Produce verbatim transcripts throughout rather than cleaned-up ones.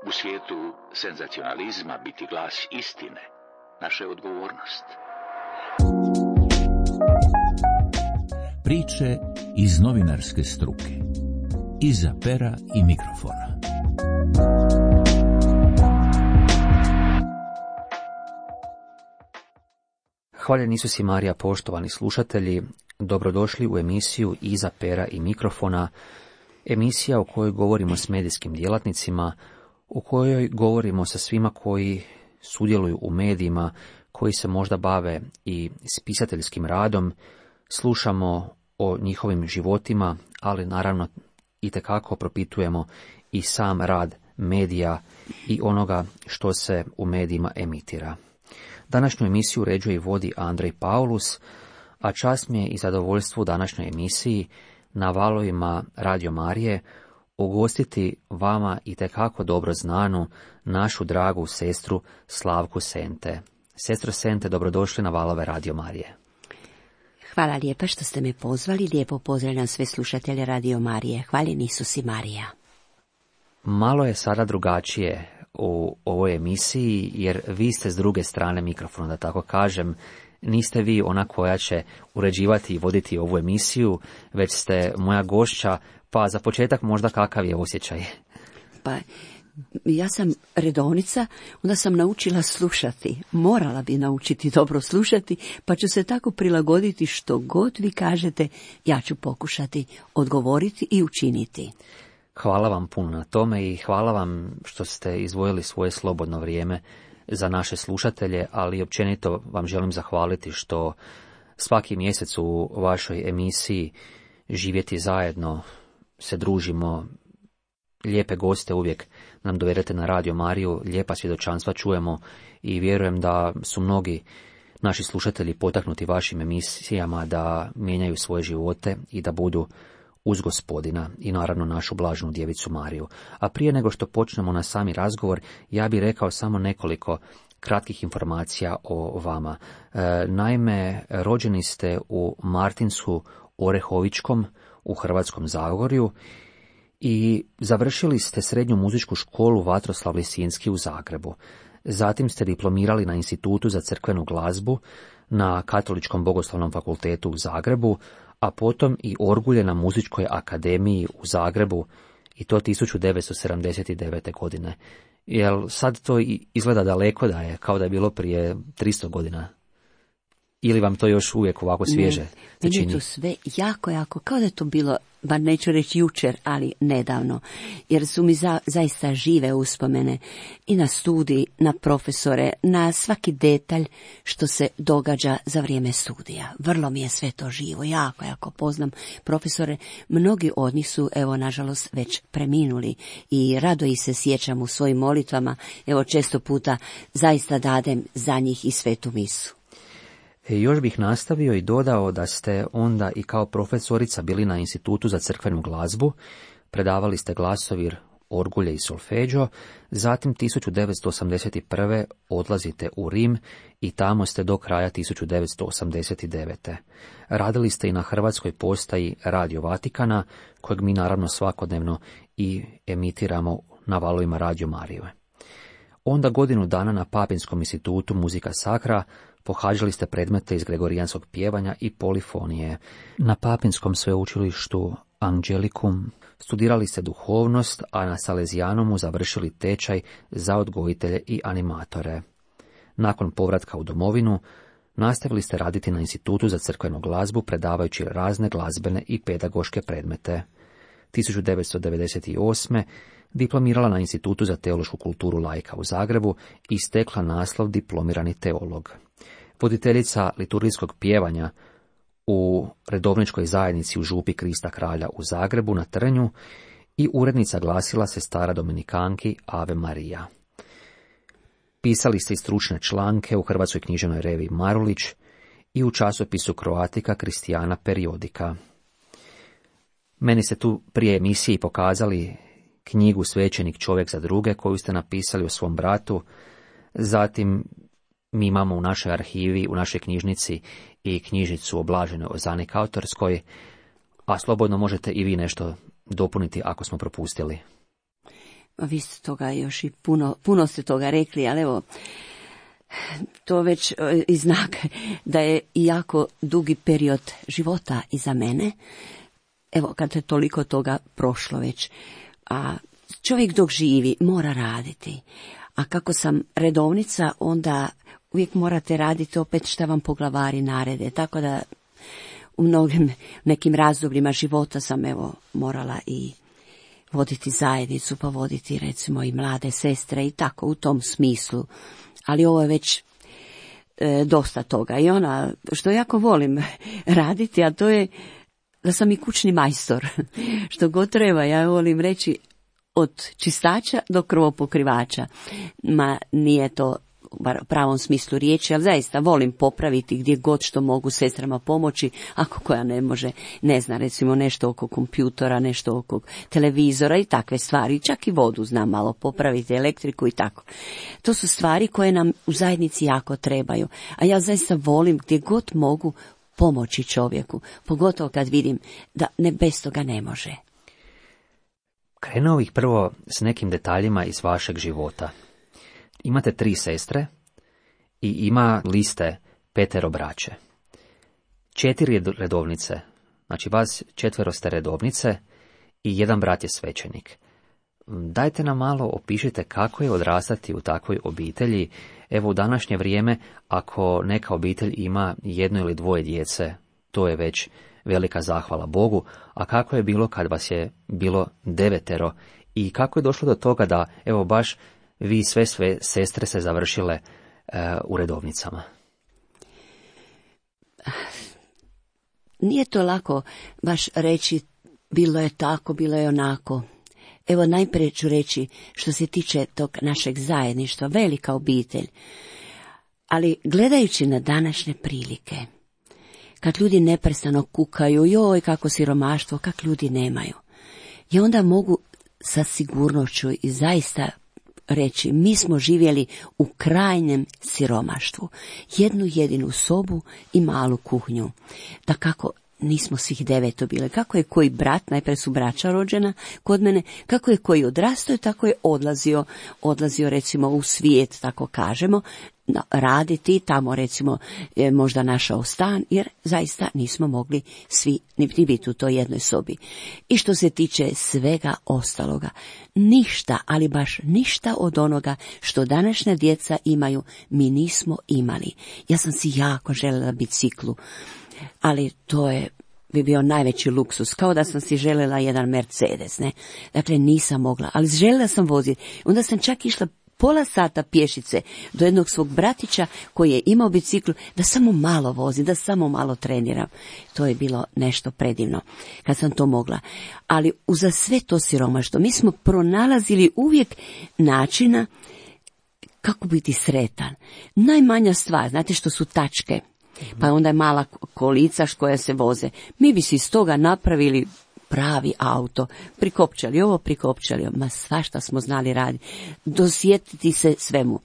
U svijetu senzacionalizma biti glas istine, naša je odgovornost. Priče iz novinarske struke. Iza pera i mikrofona. Hvaljen Isus i Marija, poštovani slušatelji, dobrodošli u emisiju Iza pera i mikrofona, emisija u kojoj govorimo s medijskim djelatnicima, u kojoj govorimo sa svima koji sudjeluju u medijima, koji se možda bave i spisateljskim radom, slušamo o njihovim životima, ali naravno itekako propitujemo i sam rad medija i onoga što se u medijima emitira. Današnju emisiju uređuje i vodi Andrej Paulus, a čast mi je i zadovoljstvo u današnjoj emisiji na valovima Radio Marije ugostiti vama itekako dobro znanu našu dragu sestru Slavku Sente. Sestro Sente, dobrodošli na valove Radio Marije. Hvala lijepa što ste me pozvali, lijepo pozdravljam sve slušatelje Radio Marije. Hvaljen Isus i Marija. Malo je sada drugačije u ovoj emisiji, jer vi ste s druge strane mikrofona, da tako kažem. Niste vi ona koja će uređivati i voditi ovu emisiju, već ste moja gošća, pa za početak možda kakav je osjećaj? Pa, ja sam redovnica, onda sam naučila slušati. Morala bi naučiti dobro slušati, pa ću se tako prilagoditi što god vi kažete, ja ću pokušati odgovoriti i učiniti. Hvala vam puno na tome i hvala vam što ste izdvojili svoje slobodno vrijeme za naše slušatelje, ali općenito vam želim zahvaliti što svaki mjesec u vašoj emisiji Živjeti zajedno se družimo, lijepe goste uvijek nam dovedete na Radio Mariju, lijepa svjedočanstva čujemo i vjerujem da su mnogi naši slušatelji potaknuti vašim emisijama da mijenjaju svoje živote i da budu uz Gospodina i naravno našu blaženu djevicu Mariju. A prije nego što počnemo na sami razgovor, ja bih rekao samo nekoliko kratkih informacija o vama. E, naime, rođeni ste u Martinsu Orehovičkom u Hrvatskom Zagorju i završili ste srednju muzičku školu Vatroslav Lisinski u Zagrebu. Zatim ste diplomirali na Institutu za crkvenu glazbu na Katoličkom bogoslovnom fakultetu u Zagrebu, a potom i orgulje na Muzičkoj akademiji u Zagrebu, i to tisuću devetsto sedamdeset devete. godine. Jel sad to izgleda daleko da je, kao da je bilo prije tristo godina? Ili vam to još uvijek ovako svježe se čini? Meni je to sve jako, jako, kao da je to bilo, bar neću reći jučer, ali nedavno, jer su mi za, zaista žive uspomene i na studij, na profesore, na svaki detalj što se događa za vrijeme studija. Vrlo mi je sve to živo, jako, jako poznam profesore. Mnogi od njih su, evo, nažalost, već preminuli i rado ih se sjećam u svojim molitvama. Evo, često puta zaista dadem za njih i svetu misu. E, još bih nastavio i dodao da ste onda i kao profesorica bili na Institutu za crkvenu glazbu, predavali ste glasovir, orgulje i solfeđo, zatim tisuću devetsto osamdeset prve. odlazite u Rim i tamo ste do kraja tisuću devetsto osamdeset devete. Radili ste i na hrvatskoj postaji Radio Vatikana, kojeg mi naravno svakodnevno i emitiramo na valovima Radio Marije. Onda godinu dana na Papinskom institutu Muzika Sacra pohađali ste predmete iz gregorijanskog pjevanja i polifonije. Na Papinskom sveučilištu Angelicum studirali ste duhovnost, a na Salesianumu završili tečaj za odgojitelje i animatore. Nakon povratka u domovinu, nastavili ste raditi na Institutu za crkvenu glazbu, predavajući razne glazbene i pedagoške predmete. tisuću devetsto devedeset osme. diplomirala na Institutu za teološku kulturu laika u Zagrebu i stekla naslov diplomirani teolog. Voditeljica liturgijskog pjevanja u redovničkoj zajednici u Župi Krista Kralja u Zagrebu na Trnju i urednica glasila Sestara Dominikanki Ave Marija. Pisali ste i stručne članke u Hrvatskoj književnoj reviji Marulić i u časopisu Croatica Christiana Periodika. Meni ste tu prije emisije pokazali knjigu Svećenik čovjek za druge, koju ste napisali o svom bratu. Zatim mi imamo u našoj arhivi, u našoj knjižnici i knjižnicu o Blaženoj Ozani Kautorskoj, a slobodno možete i vi nešto dopuniti ako smo propustili? Vi ste toga još i puno, puno ste toga rekli, ali evo, to već i znak da je jako dugi period života iza mene. Evo, kad je toliko toga prošlo već, a čovjek dok živi mora raditi, a kako sam redovnica, onda uvijek morate raditi opet šta vam poglavari narede, tako da u mnogim nekim razdobljima života sam evo morala i voditi zajednicu, pa voditi recimo i mlade sestre i tako u tom smislu, ali ovo je već e, dosta toga i ona što jako volim raditi, a to je da sam i kućni majstor, što god treba, ja volim reći od čistača do krvopokrivača, ma nije to u pravom smislu riječi, ali zaista volim popraviti gdje god što mogu sestrama pomoći, ako koja ne može, ne zna recimo nešto oko kompjutora, nešto oko televizora i takve stvari, čak i vodu znam malo popraviti, elektriku i tako. To su stvari koje nam u zajednici jako trebaju, a ja zaista volim gdje god mogu pomoći čovjeku, pogotovo kad vidim da ne bez toga ne može. Krenuo bih prvo s nekim detaljima iz vašeg života. Imate tri sestre i ima liste petero braće. Četiri redovnice, znači vas četvero ste redovnice i jedan brat je svećenik. Dajte nam malo opišite kako je odrastati u takvoj obitelji. Evo u današnje vrijeme, ako neka obitelj ima jedno ili dvoje djece, to je već velika zahvala Bogu, a kako je bilo kad vas je bilo devetero i kako je došlo do toga da evo baš vi sve sve sestre se završile e, u redovnicama? Nije to lako baš reći bilo je tako, bilo je onako. Evo najprije ću reći što se tiče tog našeg zajedništva, velika obitelj. Ali gledajući na današnje prilike, kad ljudi neprestano kukaju, joj kako siromaštvo, kak ljudi nemaju, ja onda mogu sa sigurnošću i zaista reći, mi smo živjeli u krajnjem siromaštvu. Jednu jedinu sobu i malu kuhnju. Da kako nismo svih deveto bile. Kako je koji brat, najprije su braća rođena kod mene, kako je koji odrastao, tako je odlazio, odlazio recimo u svijet, tako kažemo, raditi, tamo recimo je možda našao stan, jer zaista nismo mogli svi niti biti u toj jednoj sobi. I što se tiče svega ostaloga, ništa, ali baš ništa od onoga što današnja djeca imaju, mi nismo imali. Ja sam si jako željela biciklu, ali to je bi bio najveći luksus, kao da sam si željela jedan Mercedes, ne? Dakle, nisam mogla, ali željela sam voziti. Onda sam čak išla pola sata pješice do jednog svog bratića koji je imao biciklu, da samo malo vozi, da samo malo treniram. To je bilo nešto predivno kad sam to mogla. Ali uza sve to siromaštvo mi smo pronalazili uvijek načina kako biti sretan. Najmanja stvar, znate što su tačke, pa onda je mala kolica koja se voze. Mi bi si iz toga napravili pravi auto, prikopčali ovo, prikopčali ovo, ma svašta smo znali raditi, dosjetiti se svemu.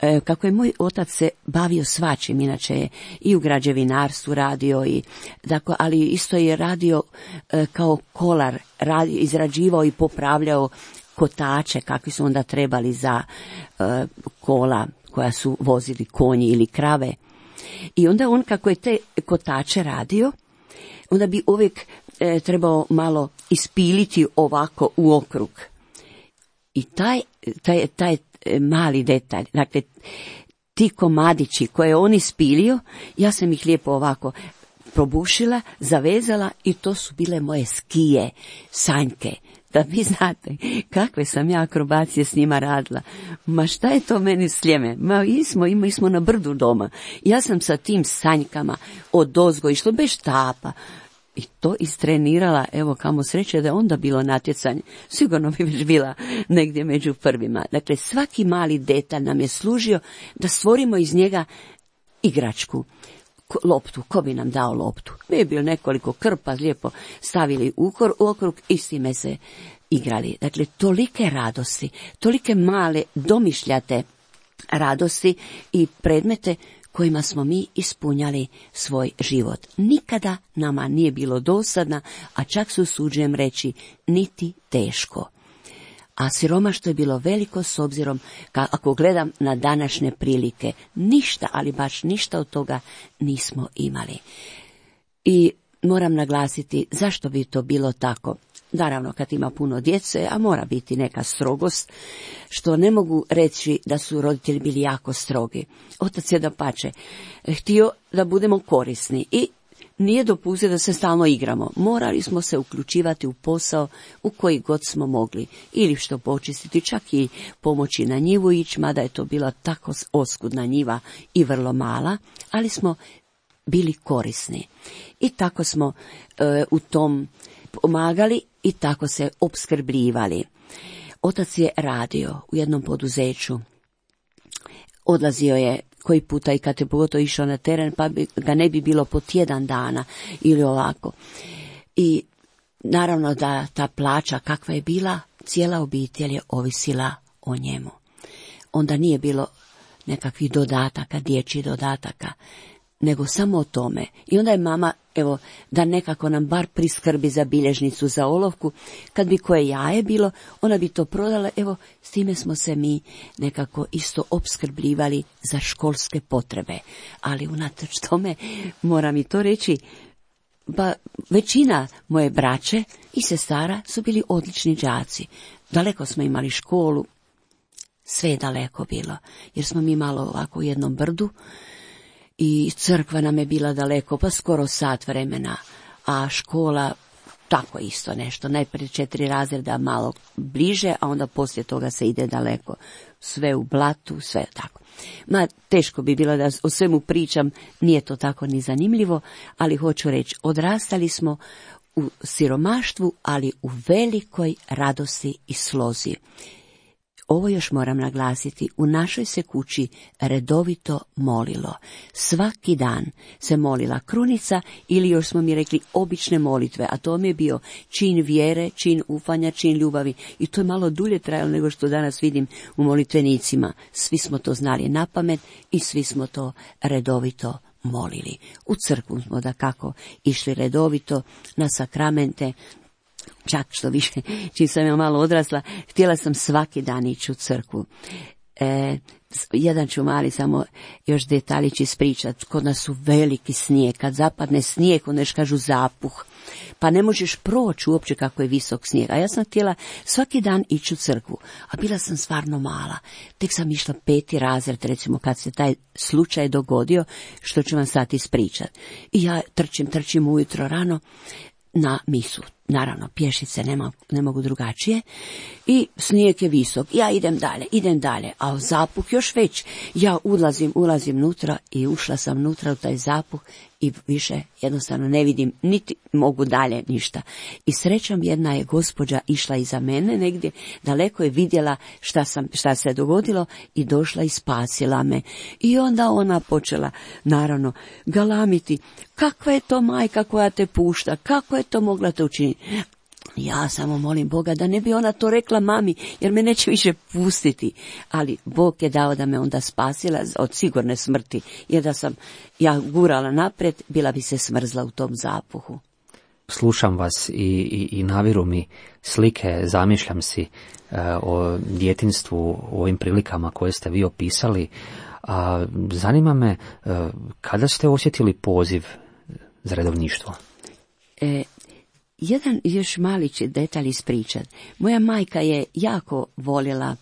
E, kako je moj otac se bavio svačim, inače je i u građevinarstvu radio, i, dakle, ali isto je radio e, kao kolar, radio, izrađivao i popravljao kotače, kakvi su onda trebali za e, kola koja su vozili konji ili krave. I onda on, kako je te kotače radio, onda bi uvijek e, trebao malo ispiliti ovako u okrug. I taj, taj, taj mali detalj, dakle, ti komadići koje je on ispilio, ja sam ih lijepo ovako probušila, zavezala i to su bile moje skije, sanjke. Da vi znate kakve sam ja akrobacije s njima radila. Ma šta je to meni sljeme? Ma i smo, i smo na brdu doma. Ja sam sa tim sanjkama odozgo išlo bez štapa. I to istrenirala, evo kamo sreće da je onda bilo natjecanje. Sigurno bi već bila negdje među prvima. Dakle, svaki mali detalj nam je služio da stvorimo iz njega igračku. Loptu, ko bi nam dao loptu? Mi je bilo nekoliko krpa, lijepo stavili u okrug i s time se igrali. Dakle, tolike radosti, tolike male domišljate radosti i predmete kojima smo mi ispunjali svoj život. Nikada nama nije bilo dosadna, a čak se usuđujem reći niti teško. A siromaštvo je bilo veliko s obzirom, ka, ako gledam na današnje prilike, ništa, ali baš ništa od toga nismo imali. I moram naglasiti zašto bi to bilo tako. Naravno, kad ima puno djece, a mora biti neka strogost, što ne mogu reći da su roditelji bili jako strogi. Otac je dapače htio da budemo korisni i nije dopustio da se stalno igramo. Morali smo se uključivati u posao u koji god smo mogli. Ili što počistiti, čak i pomoći na njivu ići, mada je to bila tako oskudna njiva i vrlo mala, ali smo bili korisni. I tako smo e, u tom pomagali i tako se opskrbljivali. Otac je radio u jednom poduzeću. Odlazio je koji puta i kad je pogotovo išao na teren, pa bi, ga ne bi bilo po tjedan dana ili ovako. I naravno da ta plaća kakva je bila, cijela obitelj je ovisila o njemu. Onda nije bilo nekakvih dodataka, dječjih dodataka, nego samo o tome. I onda je mama, evo, da nekako nam bar priskrbi za bilježnicu, za olovku, kad bi koje jaje bilo, ona bi to prodala, evo, s time smo se mi nekako isto opskrbljivali za školske potrebe. Ali unatoč tome, moram i to reći, ba, većina moje braće i sestara su bili odlični đaci. Daleko smo imali školu, sve je daleko bilo, jer smo mi malo ovako u jednom brdu, i crkva nam je bila daleko, pa skoro sat vremena, a škola tako isto nešto, najprije četiri razreda malo bliže, a onda poslije toga se ide daleko, sve u blatu, sve tako. Ma, teško bi bilo da o svemu pričam, nije to tako ni zanimljivo, ali hoću reći, odrastali smo u siromaštvu, ali u velikoj radosti i slozi. Ovo još moram naglasiti, u našoj se kući redovito molilo. Svaki dan se molila krunica ili još smo mi rekli obične molitve, a to mi je bio čin vjere, čin ufanja, čin ljubavi. I to je malo dulje trajalo nego što danas vidim u molitvenicima. Svi smo to znali na pamet i svi smo to redovito molili. U crkvu smo dakako išli redovito na sakramente. Čak što više, čim sam ja malo odrasla, htjela sam svaki dan ići u crkvu. E, jedan ću mali samo još detaljić ispričati. Kod nas su veliki snijeg. Kad zapadne snijeg, onda još kažu zapuh. Pa ne možeš proći uopće kako je visok snijeg. A ja sam htjela svaki dan ići u crkvu. A bila sam stvarno mala. Tek sam išla peti razred, recimo kad se taj slučaj dogodio, što ću vam sad ispričati. I ja trčim, trčim ujutro rano na misu. Naravno, pješice nema, ne mogu drugačije. I snijeg je visok. Ja idem dalje, idem dalje. A zapuh još već. Ja ulazim, ulazim nutra i ušla sam nutra u taj zapuh i više jednostavno ne vidim, niti mogu dalje ništa. I srećom jedna je gospođa išla iza mene negdje, daleko je vidjela šta, sam, šta se dogodilo i došla i spasila me. I onda ona počela, naravno, galamiti. Kakva je to majka koja te pušta? Kako je to mogla to učiniti? Ja samo molim Boga da ne bi ona to rekla mami, jer me neće više pustiti. Ali Bog je dao da me onda spasila od sigurne smrti, jer da sam ja gurala naprijed, bila bi se smrzla u tom zapuhu. Slušam vas i, i, i naviru mi slike, zamišljam si e, o djetinjstvu, o ovim prilikama koje ste vi opisali. A zanima me, e, kada ste osjetili poziv za redovništvo? E, Jedan još mali će detalj ispričat. Moja majka je jako voljela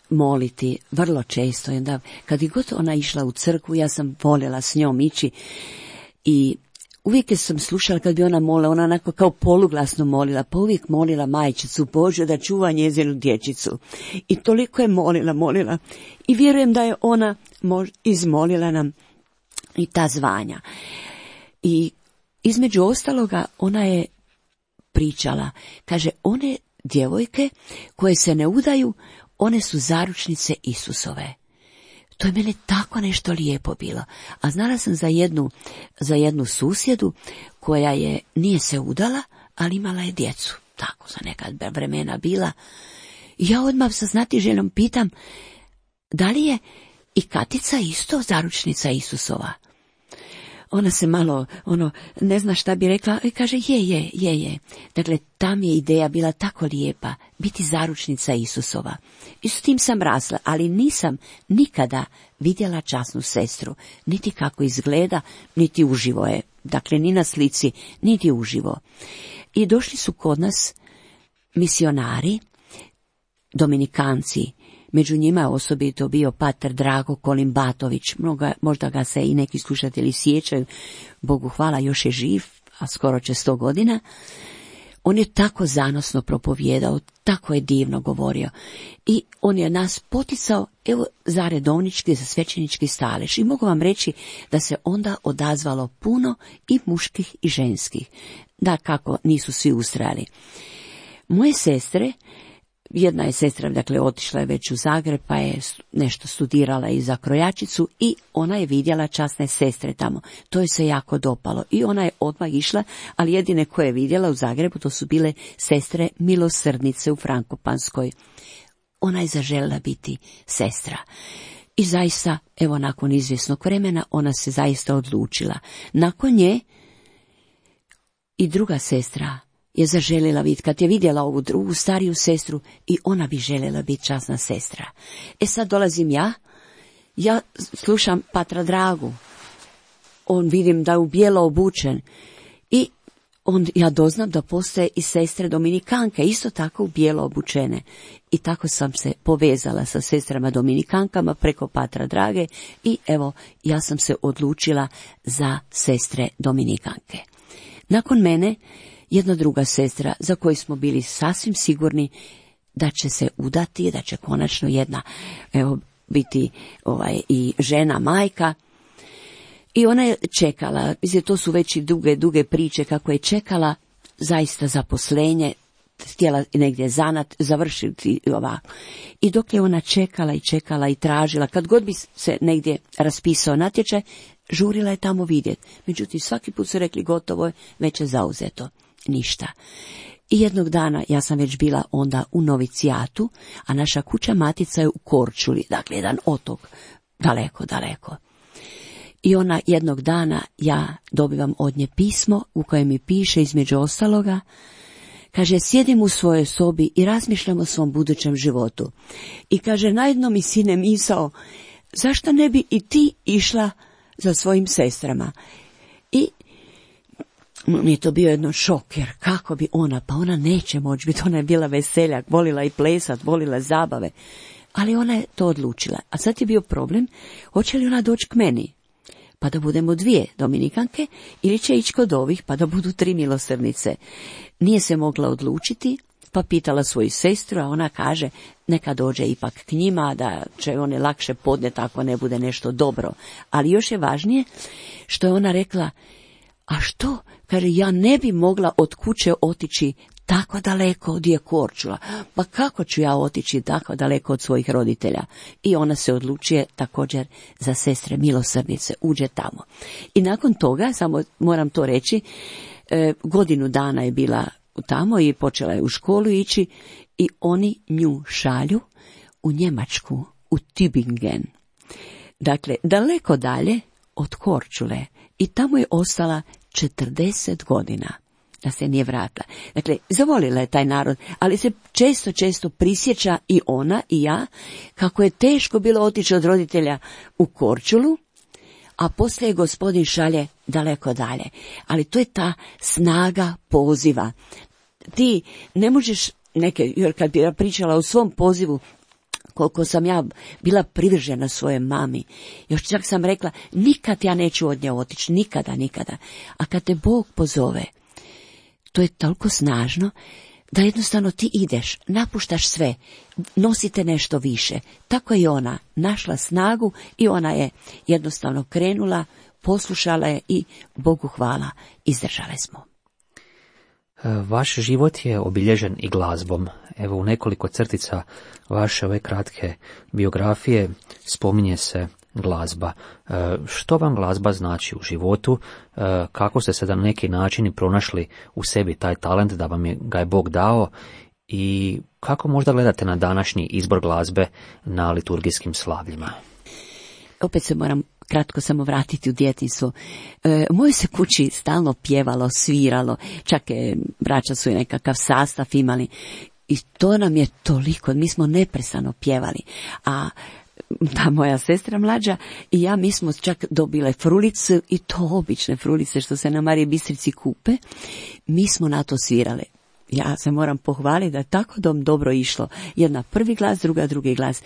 moliti, vrlo često. I onda, kad je god ona išla u crkvu, ja sam voljela s njom ići. I uvijek sam slušala kad bi ona molila, ona onako kao poluglasno molila, pa uvijek molila majčicu Božju da čuva njezinu dječicu. I toliko je molila, molila. I vjerujem da je ona izmolila nam i ta zvanja. I između ostaloga, ona je pričala, kaže, one djevojke koje se ne udaju, one su zaručnice Isusove. To je mene tako nešto lijepo bilo. A znala sam za jednu, za jednu susjedu koja je, nije se udala, ali imala je djecu. Tako za neka vremena bila. I ja odmah sa znatiželjom pitam, da li je I Katica isto zaručnica Isusova. Ona se malo, ono, ne zna šta bi rekla, i kaže je, je, je, je. Dakle, tam je ideja bila tako lijepa, biti zaručnica Isusova. I s tim sam rasla, ali nisam nikada vidjela časnu sestru, niti kako izgleda, niti uživo je. Dakle, ni na slici, niti uživo. I došli su kod nas misionari, dominikanci. Među njima je osobito bio pater Drago Kolimbatović, Mnoga, možda ga se i neki slušatelji sjećaju, Bogu hvala još je živ, a skoro će sto godina. On je tako zanosno propovijedao, tako je divno govorio i on je nas poticao, evo, za redovnički, za svećenički stalež. I mogu vam reći da se onda odazvalo puno i muških i ženskih, da kako nisu svi ustrajali. Moje sestre, jedna je sestra, dakle, otišla je već u Zagreb, pa je nešto studirala i za krojačicu i ona je vidjela časne sestre tamo. To je se jako dopalo i ona je odmah išla, ali jedine koje je vidjela u Zagrebu to su bile sestre milosrdnice u Frankopanskoj. Ona je zaželjela biti sestra. I zaista, evo, nakon izvjesnog vremena, ona se zaista odlučila. Nakon nje i druga sestra je zaželjela biti, kad je vidjela ovu drugu stariju sestru, i ona bi željela biti časna sestra. E sad dolazim ja, ja slušam patra Dragu, on vidim da je u bijelo obučen i on, ja doznam da postoje i sestre dominikanke, isto tako u bijelo obučene. I tako sam se povezala sa sestrama dominikankama preko patra Drage i evo, ja sam se odlučila za sestre dominikanke. Nakon mene jedna druga sestra za koju smo bili sasvim sigurni da će se udati, da će konačno jedna, evo, biti ovaj, i žena, majka. I ona je čekala, mislim, to su već i duge, duge priče kako je čekala zaista zaposlenje, htjela negdje zanat, završiti ovako. I dok je ona čekala i čekala i tražila, kad god bi se negdje raspisao natječaj, žurila je tamo vidjeti. Međutim, svaki put su rekli gotovo je, već je zauzeto. Ništa. I jednog dana, ja sam već bila onda u novicijatu, a naša kuća matica je u Korčuli, dakle jedan otok, daleko, daleko. I ona jednog dana, ja dobivam od nje pismo u kojem mi piše između ostaloga, kaže, sjedim u svojoj sobi i razmišljam o svom budućem životu. I kaže, najedno mi sine misao, zašto ne bi i ti išla za svojim sestrama? I mi je to bio jedno šok, jer kako bi ona, pa ona neće moći biti, ona je bila veseljak, volila i plesat, volila zabave, ali ona je to odlučila. A sad je bio problem, hoće li ona doći k meni, pa da budemo dvije dominikanke, ili će ići kod ovih, pa da budu tri milosrdnice. Nije se mogla odlučiti, pa pitala svoju sestru, a ona kaže, neka dođe ipak k njima, da će one lakše podnijeti ako ne bude nešto dobro. Ali još je važnije, što je ona rekla, a što? Kaže, ja ne bi mogla od kuće otići tako daleko od je Korčula. Pa kako ću ja otići tako daleko od svojih roditelja? I ona se odlučuje također za sestre milosrdnice, uđe tamo. I nakon toga, samo moram to reći, e, godinu dana je bila tamo i počela je u školu ići i oni nju šalju u Njemačku, u Tübingen. Dakle, daleko dalje od Korčule. I tamo je ostala četrdeset godina, da se nije vratila. Dakle, zavolila je taj narod, ali se često, često prisjeća i ona i ja, kako je teško bilo otići od roditelja u Korčulu, a poslije je gospodin šalje daleko dalje. Ali to je ta snaga poziva. Ti ne možeš neke, jer kad bi ja pričala o svom pozivu, koliko sam ja bila privržena svoje mami, još čak sam rekla, nikad ja neću od nje otići, nikada, nikada. A kad te Bog pozove, to je toliko snažno, da jednostavno ti ideš, napuštaš sve, nosite nešto više. Tako je ona našla snagu i ona je jednostavno krenula, poslušala je i Bogu hvala, izdržale smo. Vaš život je obilježen i glazbom. Evo, u nekoliko crtica vaše ove kratke biografije spominje se glazba. Što vam glazba znači u životu? Kako ste se na neki način pronašli u sebi taj talent da vam je, ga je Bog dao? I kako možda gledate na današnji izbor glazbe na liturgijskim slavljima? opet se moram kratko samo vratiti u djetinjstvo. E, u mojoj se kući stalno pjevalo, sviralo, čak je, braća su i nekakav sastav imali i to nam je toliko, mi smo neprestano pjevali, a ta moja sestra mlađa i ja, mi smo čak dobile frulice i to obične frulice što se na Mariji Bistrici kupe, mi smo na to svirale. Ja se moram pohvaliti da je tako dom dobro išlo, jedna prvi glas, druga drugi glas.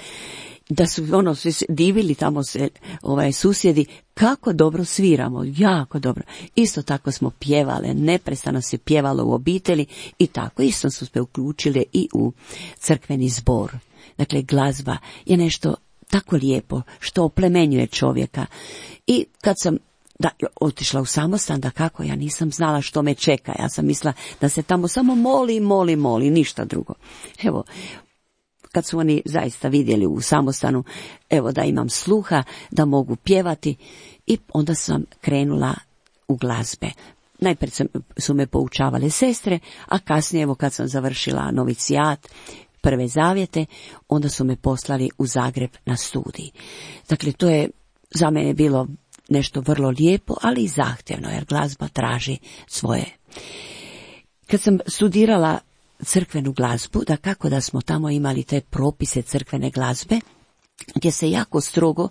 Da su ono svi divili tamo se ovaj susjedi kako dobro sviramo, jako dobro. Isto tako smo pjevale, neprestano se pjevalo u obitelji i tako isto su se uključile i u crkveni zbor. Dakle, glazba je nešto tako lijepo što oplemenjuje čovjeka. I kad sam da otišla u samostan, da kako, ja nisam znala što me čeka, ja sam mislila da se tamo samo moli, moli, moli, ništa drugo. Evo, kad su oni zaista vidjeli u samostanu, evo da imam sluha, da mogu pjevati, i onda sam krenula u glazbe. Najprije su me poučavale sestre, a kasnije, evo kad sam završila novicijat, prve zavjete, onda su me poslali u Zagreb na studij. Dakle, to je za mene bilo nešto vrlo lijepo, ali i zahtjevno, jer glazba traži svoje. Kad sam studirala crkvenu glazbu, da kako da smo tamo imali te propise crkvene glazbe, gdje se jako strogo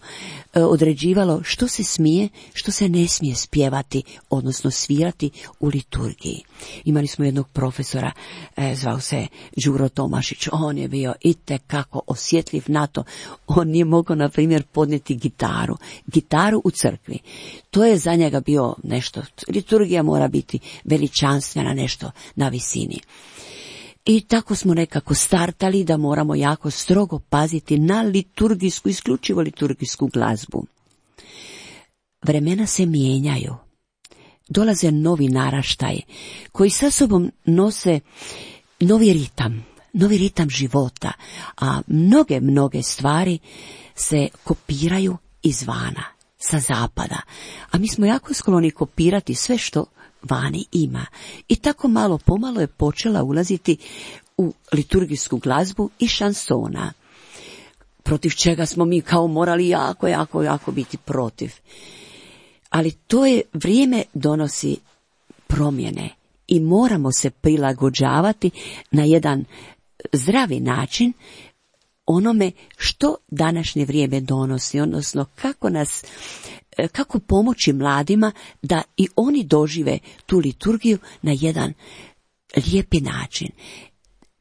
e, određivalo što se smije, što se ne smije spjevati, odnosno svirati u liturgiji. Imali smo jednog profesora, e, zvao se Đuro Tomašić, on je bio itekako osjetljiv na to, on nije mogao, na primjer, podnijeti gitaru, gitaru u crkvi. To je za njega bio nešto, liturgija mora biti veličanstvena, nešto na visini. I tako smo nekako startali da moramo jako strogo paziti na liturgijsku, isključivo liturgijsku glazbu. Vremena se mijenjaju. Dolaze novi naraštaj koji sa sobom nose novi ritam, novi ritam života, a mnoge, mnoge stvari se kopiraju izvana, sa zapada. A mi smo jako skloni kopirati sve što vani ima. I tako malo pomalo je počela ulaziti u liturgijsku glazbu i šansona, protiv čega smo mi kao morali jako, jako, jako biti protiv. Ali to je, vrijeme donosi promjene i moramo se prilagođavati na jedan zdravi način onome što današnje vrijeme donosi, odnosno kako nas kako pomoći mladima da i oni dožive tu liturgiju na jedan lijepi način.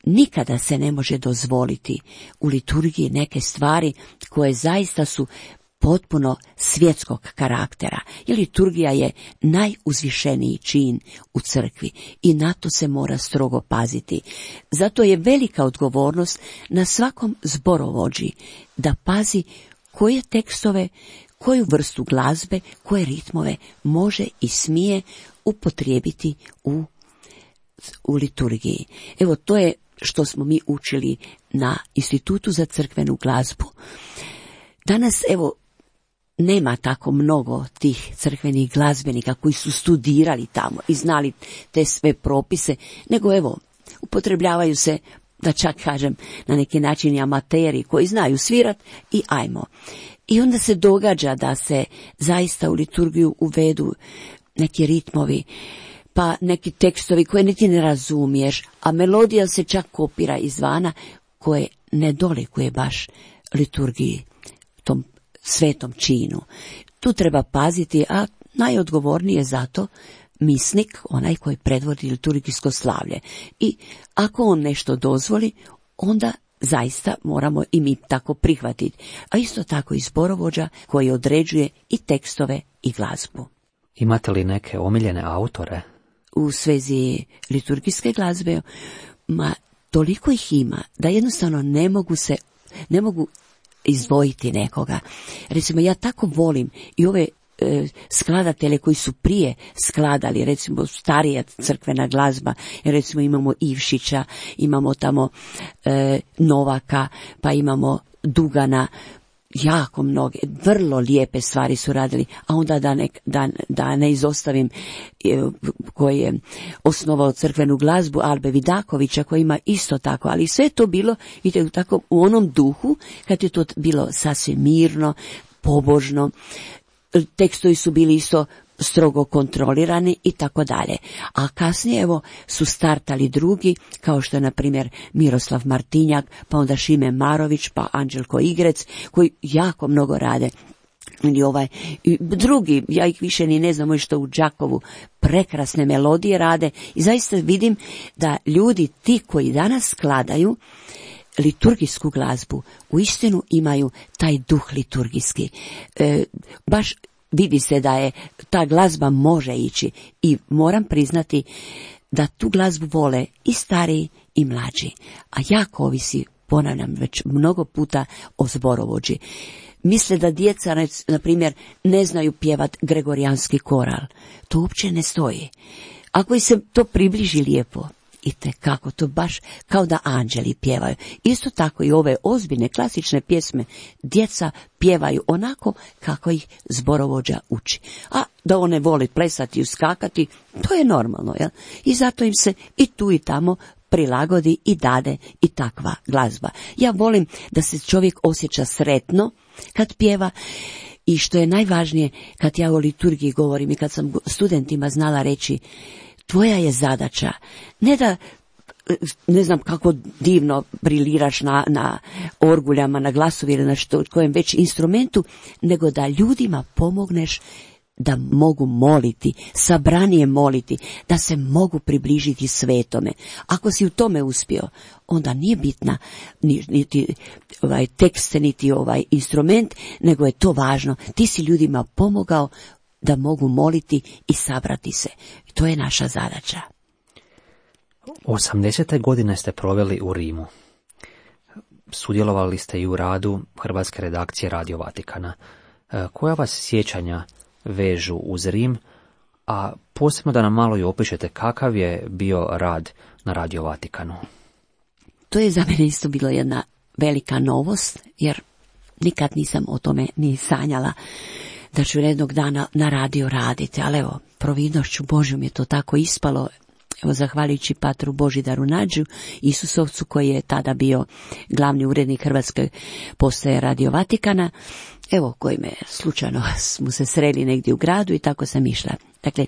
Nikada se ne može dozvoliti u liturgiji neke stvari koje zaista su potpuno svjetskog karaktera, jer liturgija je najuzvišeniji čin u crkvi i na to se mora strogo paziti. Zato je velika odgovornost na svakom zborovođi da pazi koje tekstove, koju vrstu glazbe, koje ritmove može i smije upotrijebiti u, u liturgiji. Evo, to je što smo mi učili na Institutu za crkvenu glazbu. Danas, evo, nema tako mnogo tih crkvenih glazbenika koji su studirali tamo i znali te sve propise, nego evo, upotrebljavaju se, da čak kažem, na neki način i amateri koji znaju svirat i ajmo. I onda se događa da se zaista u liturgiju uvedu neki ritmovi, pa neki tekstovi koje niti ne razumiješ, a melodija se čak kopira izvana, koje ne dolikuje baš liturgiji, tom svetom činu. Tu treba paziti, a najodgovorniji je zato misnik, onaj koji predvodi liturgijsko slavlje. I ako on nešto dozvoli, onda zaista moramo i mi tako prihvatiti. A isto tako i zborovođa koji određuje i tekstove i glazbu. Imate li neke omiljene autore? U svezi liturgijske glazbe, ma toliko ih ima da jednostavno ne mogu se, ne mogu izdvojiti nekoga. Recimo, ja tako volim i ove e, skladatelje koji su prije skladali, recimo starija crkvena glazba, jer recimo imamo Ivšića, imamo tamo e, Novaka, pa imamo Dugana, jako mnoge, vrlo lijepe stvari su radili, a onda da ne, da, da ne izostavim e, koji je osnovao crkvenu glazbu, Albe Vidakovića, koji ima isto tako, ali sve to bilo, vidite, tako u onom duhu, kad je to bilo sasvim mirno, pobožno, tekstovi su bili isto strogo kontrolirani i tako dalje. A kasnije evo su startali drugi, kao što je na primjer Miroslav Martinjak, pa onda Šime Marović, pa Anđelko Igrec, koji jako mnogo rade. Ili ovaj, i drugi, ja ih više ni ne znam što u Đakovu prekrasne melodije rade i zaista vidim da ljudi ti koji danas skladaju liturgijsku glazbu uistinu imaju taj duh liturgijski. E, baš vidi se da je ta glazba može ići i moram priznati da tu glazbu vole i stariji i mlađi, a jako ovisi, ponavljam već mnogo puta, o zborovođi. Misle da djeca, na primjer, ne znaju pjevat gregorijanski koral. To uopće ne stoji. Ako se to približi lijepo, i te kako, to baš kao da anđeli pjevaju. Isto tako i ove ozbiljne klasične pjesme djeca pjevaju onako kako ih zborovođa uči. A da one vole plesati i uskakati, to je normalno, jel? I zato im se i tu i tamo prilagodi i dade i takva glazba. Ja volim da se čovjek osjeća sretno kad pjeva i što je najvažnije kad ja o liturgiji govorim i kad sam studentima znala reći, tvoja je zadaća ne da, ne znam kako divno briliraš na, na orguljama, na glasovi ili na što, kojem već instrumentu, nego da ljudima pomogneš da mogu moliti, sabranije moliti, da se mogu približiti svetome. Ako si u tome uspio, onda nije bitna niti ovaj tekst, niti ovaj instrument, nego je to važno. Ti si ljudima pomogao da mogu moliti i sabrati se. To je naša zadaća. osamdesete godine ste proveli u Rimu. Sudjelovali ste i u radu hrvatske redakcije Radio Vatikana. Koja vas sjećanja vežu uz Rim, a posebno da nam malo i opišete kakav je bio rad na Radio Vatikanu? To je za mene isto bilo jedna velika novost, jer nikad nisam o tome ni sanjala da ću jednog dana na radio raditi, ali evo, providnošću Božjom je to tako ispalo. Evo, zahvaljujući patru Božidaru Nađu, Isusovcu, koji je tada bio glavni urednik Hrvatske postaje Radio Vatikana, evo, koji me slučajno smo se sreli negdje u gradu i tako sam išla. Dakle,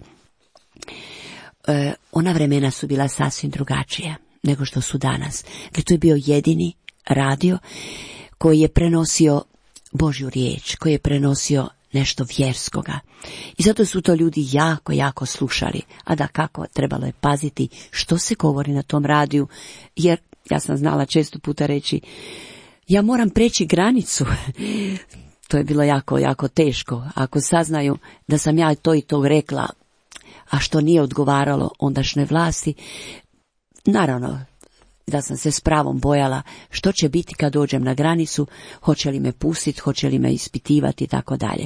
e, ona vremena su bila sasvim drugačija nego što su danas. Dakle, to je bio jedini radio koji je prenosio Božju riječ, koji je prenosio nešto vjerskoga. I zato su to ljudi jako, jako slušali. A da kako, trebalo je paziti što se govori na tom radiju, jer ja sam znala često puta reći, ja moram preći granicu. To je bilo jako, jako teško. Ako saznaju da sam ja to i to rekla, a što nije odgovaralo ondašnjoj vlasti, naravno da sam se s pravom bojala što će biti kad dođem na granicu, hoće li me pustiti, hoće li me ispitivati i tako dalje.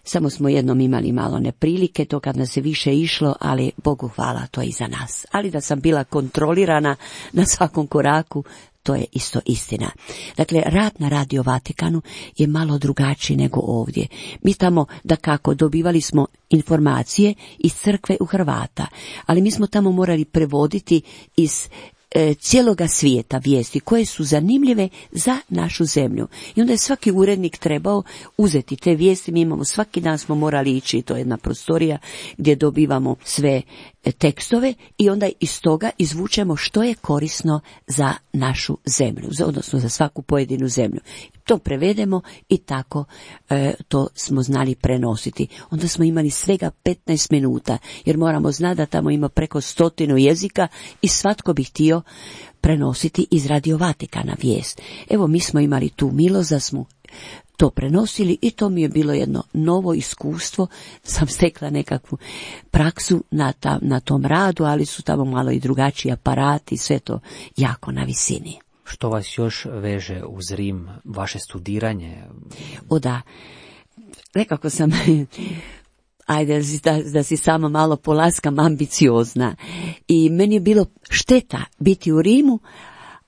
Samo smo jednom imali malo neprilike, to kad nas je više išlo, ali Bogu hvala, to je i za nas. Ali da sam bila kontrolirana na svakom koraku, to je isto istina. Dakle, rad na Radio Vatikanu je malo drugačiji nego ovdje. Mi tamo, da kako, dobivali smo informacije iz crkve u Hrvata, ali mi smo tamo morali prevoditi iz e, cijeloga svijeta vijesti koje su zanimljive za našu zemlju. I onda je svaki urednik trebao uzeti te vijesti. Mi imamo, svaki dan smo morali ići, to je jedna prostorija gdje dobivamo sve tekstove i onda iz toga izvučemo što je korisno za našu zemlju, odnosno za svaku pojedinu zemlju. To prevedemo i tako e, to smo znali prenositi. Onda smo imali svega petnaest minuta, jer moramo znati da tamo ima preko stotinu jezika i svatko bi htio prenositi iz Radio Vatikana vijest. Evo, mi smo imali tu milost da smo to prenosili i to mi je bilo jedno novo iskustvo. Sam stekla nekakvu praksu na, ta, na tom radu, ali su tamo malo i drugačiji aparati, sve to jako na visini. Što vas još veže uz Rim, vaše studiranje? O da, nekako sam, ajde da, da si samo malo polaskam, ambiciozna. I meni je bilo šteta biti u Rimu,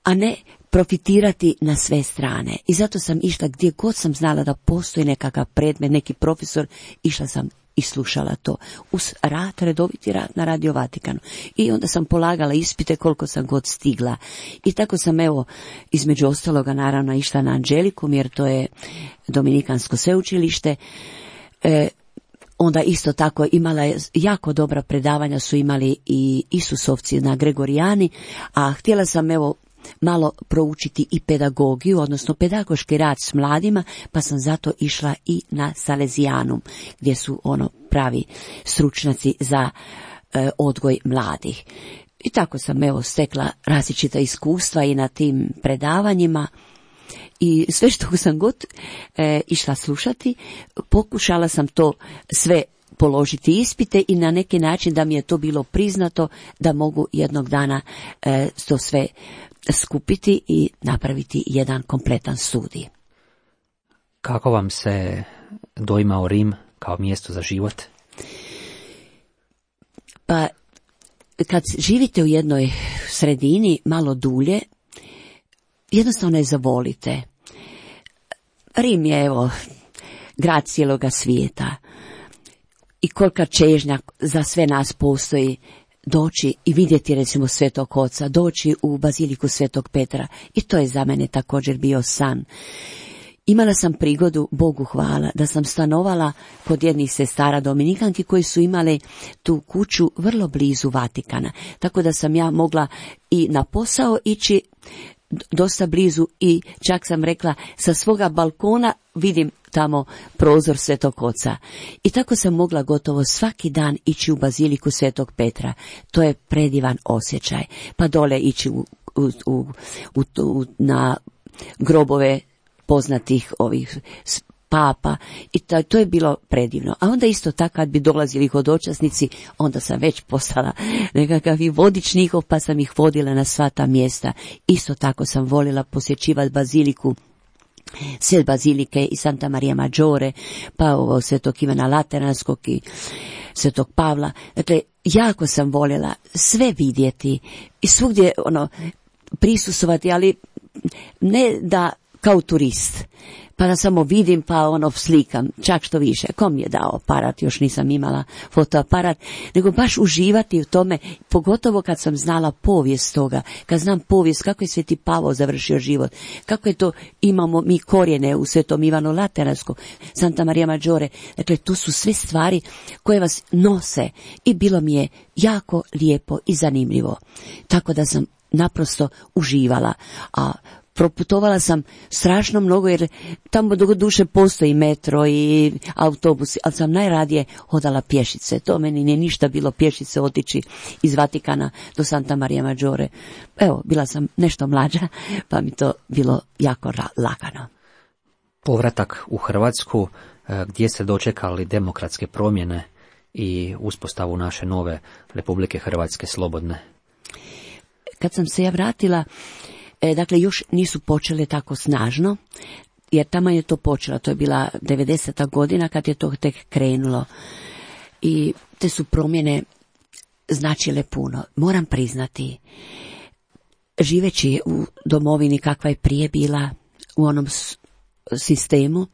a ne profitirati na sve strane. I zato sam išla gdje god sam znala da postoji nekakav predmet, neki profesor, išla sam i slušala to. Uz rad, redoviti rad na Radio Vatikanu. I onda sam polagala ispite koliko sam god stigla. I tako sam, evo, između ostaloga naravno išla na Anđelikum, jer to je Dominikansko sveučilište. E, onda isto tako imala je jako dobra predavanja, su imali i Isusovci na Gregorijani, a htjela sam, evo, malo proučiti i pedagogiju, odnosno pedagoški rad s mladima, pa sam zato išla i na Salezijanum, gdje su ono pravi stručnjaci za e, odgoj mladih. I tako sam, evo, stekla različita iskustva i na tim predavanjima. I sve što sam god e, išla slušati, pokušala sam to sve položiti ispite i na neki način da mi je to bilo priznato, da mogu jednog dana e, to sve skupiti i napraviti jedan kompletan studij. Kako vam se doimao Rim kao mjesto za život? Pa, kad živite u jednoj sredini malo dulje, jednostavno je zavolite. Rim je, evo, grad cijeloga svijeta. I kolika čežnja za sve nas postoji doći i vidjeti, recimo, Svetog Oca, doći u Baziliku Svetog Petra. I to je za mene također bio san. Imala sam prigodu, Bogu hvala, da sam stanovala kod jednih sestara Dominikanki koji su imale tu kuću vrlo blizu Vatikana. Tako da sam ja mogla i na posao ići dosta blizu i čak sam rekla sa svoga balkona vidim tamo prozor Svetog Oca. I tako sam mogla gotovo svaki dan ići u Baziliku Svetog Petra. To je predivan osjećaj. Pa dole ići u, u, u, u, u, na grobove poznatih ovih papa i to, to je bilo predivno. A onda isto tako kad bi dolazili hodočasnici, onda sam već postala nekakav i vodič njihov, pa sam ih vodila na sva ta mjesta. Isto tako sam volila posjećivati baziliku, sve bazilike i Santa Maria Maggiore, pa ovo Svetog Ivana Lateranskog i Svetog Pavla. Dakle, jako sam voljela sve vidjeti i svugdje ono prisustvovati, ali ne da kao turist, pa da samo vidim pa ono slikam, čak što više. Ko mi je dao aparat, još nisam imala fotoaparat, nego baš uživati u tome, pogotovo kad sam znala povijest toga, kad znam povijest kako je Sveti Pavao završio život, kako je to, imamo mi korijene u Svetom Ivanu Lateranskom, Santa Maria Maggiore, dakle tu su sve stvari koje vas nose i bilo mi je jako lijepo i zanimljivo. Tako da sam naprosto uživala, a proputovala sam strašno mnogo jer tamo do duše postoji metro i autobusi, ali sam najradije hodala pješice. To meni nije ništa bilo pješice otići iz Vatikana do Santa Maria Maggiore. Evo, bila sam nešto mlađa, pa mi to bilo jako lagano. Povratak u Hrvatsku, gdje ste dočekali demokratske promjene i uspostavu naše nove Republike Hrvatske slobodne? Kad sam se ja vratila, E, dakle, još nisu počele tako snažno, jer tamo je to počelo, to je bila devedeseta godina kad je to tek krenulo. I te su promjene značile puno. Moram priznati, živeći u domovini kakva je prije bila, u onom sistemu,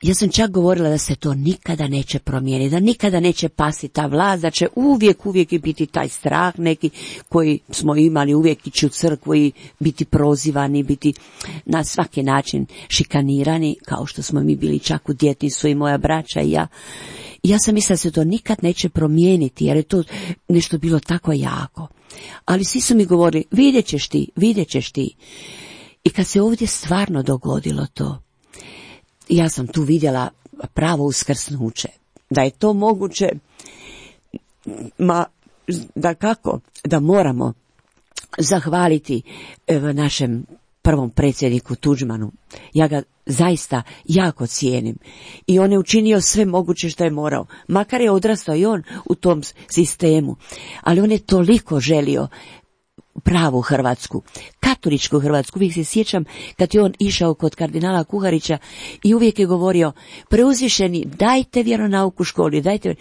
ja sam čak govorila da se to nikada neće promijeniti, da nikada neće pasti ta vlast, da će uvijek, uvijek biti taj strah neki koji smo imali, uvijek ići u crkvu i biti prozivani, biti na svaki način šikanirani, kao što smo mi bili čak u djetinjstvu i moja braća i ja. I ja sam mislila da se to nikad neće promijeniti, jer je to nešto bilo tako jako. Ali svi su mi govorili, vidjet ćeš ti, vidjet ćeš ti. I kad se ovdje stvarno dogodilo to, ja sam tu vidjela pravo uskrsnuće. Da je to moguće, ma da kako, da moramo zahvaliti evo, našem prvom predsjedniku Tuđmanu. Ja ga zaista jako cijenim. I on je učinio sve moguće što je morao. Makar je odrastao i on u tom sistemu. Ali on je toliko želio pravu Hrvatsku, katoličku Hrvatsku. Uvijek se sjećam kad je on išao kod kardinala Kuharića i uvijek je govorio, preuzvišeni, dajte vjeronauk u školi, dajte.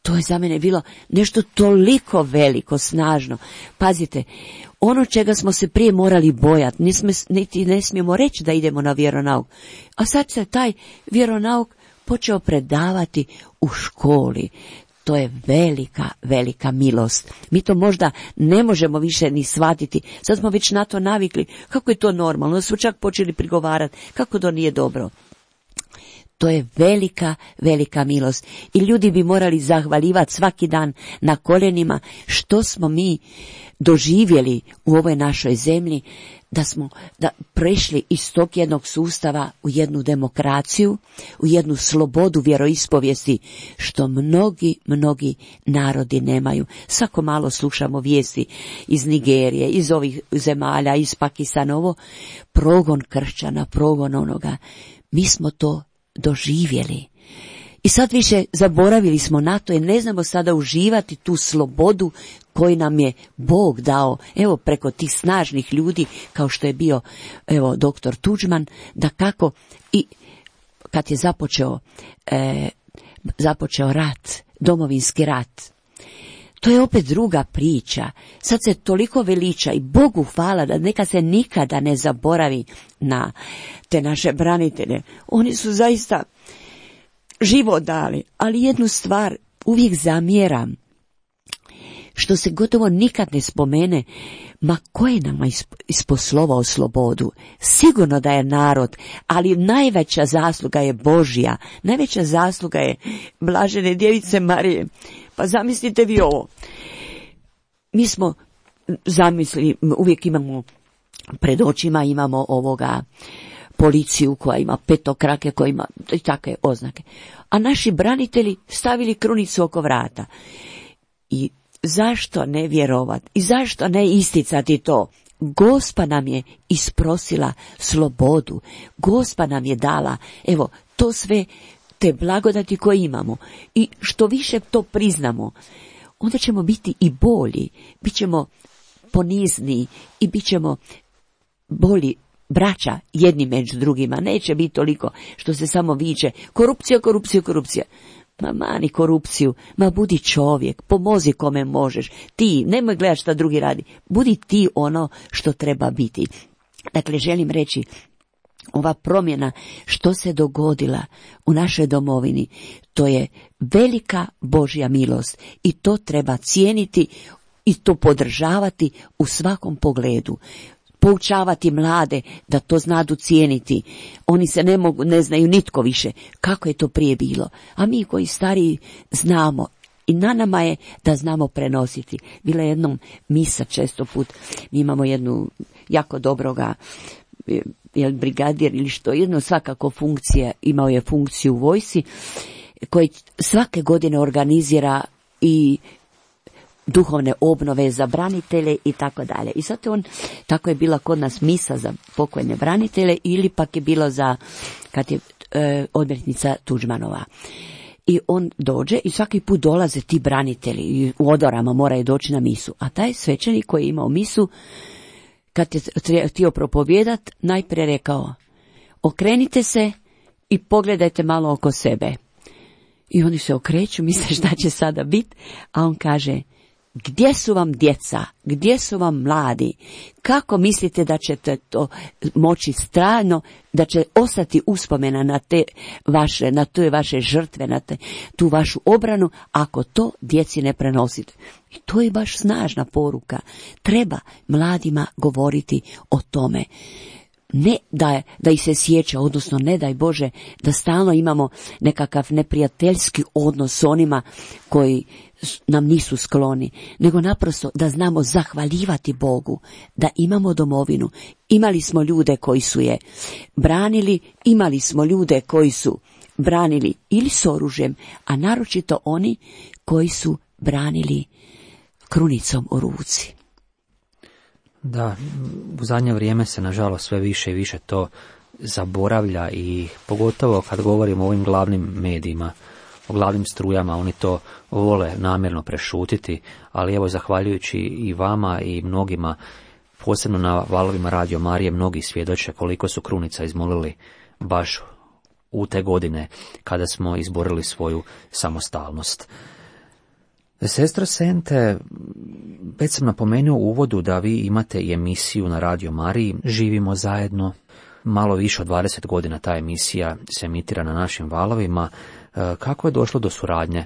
To je za mene bilo nešto toliko veliko, snažno. Pazite, ono čega smo se prije morali bojati, niti ne smijemo reći da idemo na vjeronauk. A sad se taj vjeronauk počeo predavati u školi. To je velika, velika milost. Mi to možda ne možemo više ni shvatiti. Sad smo već na to navikli. Kako je to normalno? Smo čak počeli prigovarati. Kako to nije dobro? To je velika, velika milost. I ljudi bi morali zahvaljivati svaki dan na koljenima što smo mi doživjeli u ovoj našoj zemlji, da smo da prešli iz tog jednog sustava u jednu demokraciju, u jednu slobodu vjeroispovijesti, što mnogi, mnogi narodi nemaju. Svako malo slušamo vijesti iz Nigerije, iz ovih zemalja, iz Pakistana, ovo progon kršćana, progon onoga. Mi smo to doživjeli. I sad više zaboravili smo na to i ne znamo sada uživati tu slobodu koju nam je Bog dao, evo preko tih snažnih ljudi kao što je bio evo doktor Tuđman, da kako i kad je započeo e, započeo rat, domovinski rat. To je opet druga priča. Sad se toliko veliča i Bogu hvala da neka se nikada ne zaboravi na te naše branitelje. Oni su zaista život dali, ali jednu stvar uvijek zamjeram, što se gotovo nikad ne spomene, ma ko je nama isposlovao slobodu? Sigurno da je narod, ali najveća zasluga je Božja, najveća zasluga je blažene djevice Marije. Pa zamislite vi ovo, mi smo zamislili, uvijek imamo pred očima, imamo ovoga policiju koja ima petokrake, koja ima i takve oznake. A naši branitelji stavili krunicu oko vrata. I zašto ne vjerovat? I zašto ne isticati to? Gospa nam je isprosila slobodu. Gospa nam je dala, evo, to sve, te blagodati koje imamo. I što više to priznamo, onda ćemo biti i bolji. Bićemo ponizniji i bit ćemo bolji braća jedni među drugima. Neće biti toliko što se samo viče korupcija, korupcija, korupcija. Ma mani korupciju, ma budi čovjek, pomozi kome možeš. Ti, nemoj gledati šta drugi radi. Budi ti ono što treba biti. Dakle, želim reći, ova promjena što se dogodila u našoj domovini, to je velika Božja milost i to treba cijeniti i to podržavati u svakom pogledu. Poučavati mlade da to znadu cijeniti. Oni se ne mogu, ne znaju nitko više kako je to prije bilo. A mi koji stariji znamo i na nama je da znamo prenositi. Bila je jednom misa često put. Mi imamo jednu jako dobroga jel, brigadir ili što, jedno svakako funkcija, imao je funkciju u vojsci, koji svake godine organizira i duhovne obnove za branitelje i tako dalje. I zato on, tako je bila kod nas misa za pokojne branitelje ili pak je bilo za, kad je e, odmjetnica Tuđmanova. I on dođe i svaki put dolaze ti branitelji i u odorama moraju doći na misu. A taj svećenik koji je imao misu, kad je htio propovijedat, najprije rekao, okrenite se i pogledajte malo oko sebe. I oni se okreću, misle šta će sada biti, a on kaže, gdje su vam djeca, gdje su vam mladi, kako mislite da ćete to moći strano, da će ostati uspomena na te vaše, na te vaše žrtve, na te, tu vašu obranu, ako to djeci ne prenosite. I to je baš snažna poruka. Treba mladima govoriti o tome. Ne da, da ih se sjeća, odnosno ne daj Bože da stalno imamo nekakav neprijateljski odnos s onima koji nam nisu skloni, nego naprosto da znamo zahvaljivati Bogu, da imamo domovinu. Imali smo ljude koji su je branili, imali smo ljude koji su branili ili s oružjem, a naročito oni koji su branili krunicom u ruci. Da, u zadnje vrijeme se nažalost sve više i više to zaboravlja i pogotovo kad govorimo o ovim glavnim medijima, o glavnim strujama, oni to vole namjerno prešutiti, ali evo zahvaljujući i vama i mnogima, posebno na valovima Radio Marije, mnogi svjedoče koliko su krunica izmolili baš u te godine kada smo izborili svoju samostalnost. Sestro Sente, već sam napomenuo u uvodu da vi imate i emisiju na Radio Mariji, Živimo zajedno. malo više od dvadeset godina ta emisija se emitira na našim valovima. Kako je došlo do suradnje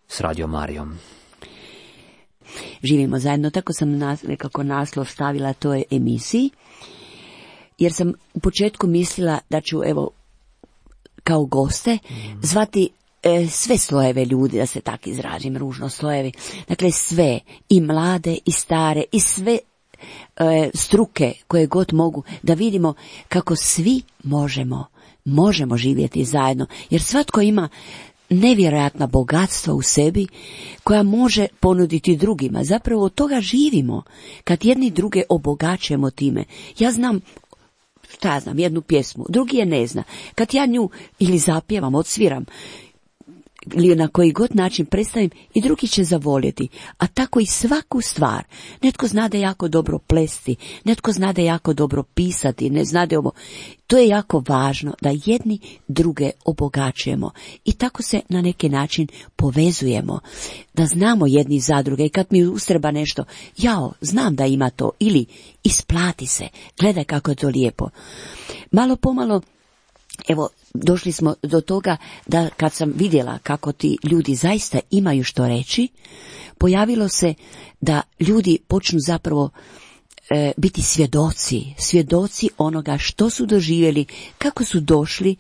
s Radio Marijom? Živimo zajedno, tako sam nas, nekako naslov stavila toj emisiji, jer sam u početku mislila da ću, evo, kao goste zvati e, sve slojeve ljudi, da se tak izražim, ružno slojevi. Dakle, sve, i mlade, i stare, i sve e, struke koje god mogu, da vidimo kako svi možemo, možemo živjeti zajedno, jer svatko ima nevjerojatna bogatstva u sebi koja može ponuditi drugima. Zapravo od toga živimo, kad jedni druge obogaćujemo time. Ja znam, šta ja znam, jednu pjesmu, drugi je ne zna. Kad ja nju ili zapjevam, odsviram, ili na koji god način predstavim, i drugi će zavoljeti. A tako i svaku stvar. Netko zna da jako dobro plesti, netko zna da jako dobro pisati, ne zna da ovo. To je jako važno, da jedni druge obogaćujemo i tako se na neki način povezujemo, da znamo jedni za druge. I kad mi ustreba nešto, jao, znam da ima to, ili isplati se, gledaj kako je to lijepo. Malo pomalo, evo, došli smo do toga da kad sam vidjela kako ti ljudi zaista imaju što reći, pojavilo se da ljudi počnu zapravo e, biti svjedoci, svjedoci onoga što su doživjeli, kako su došli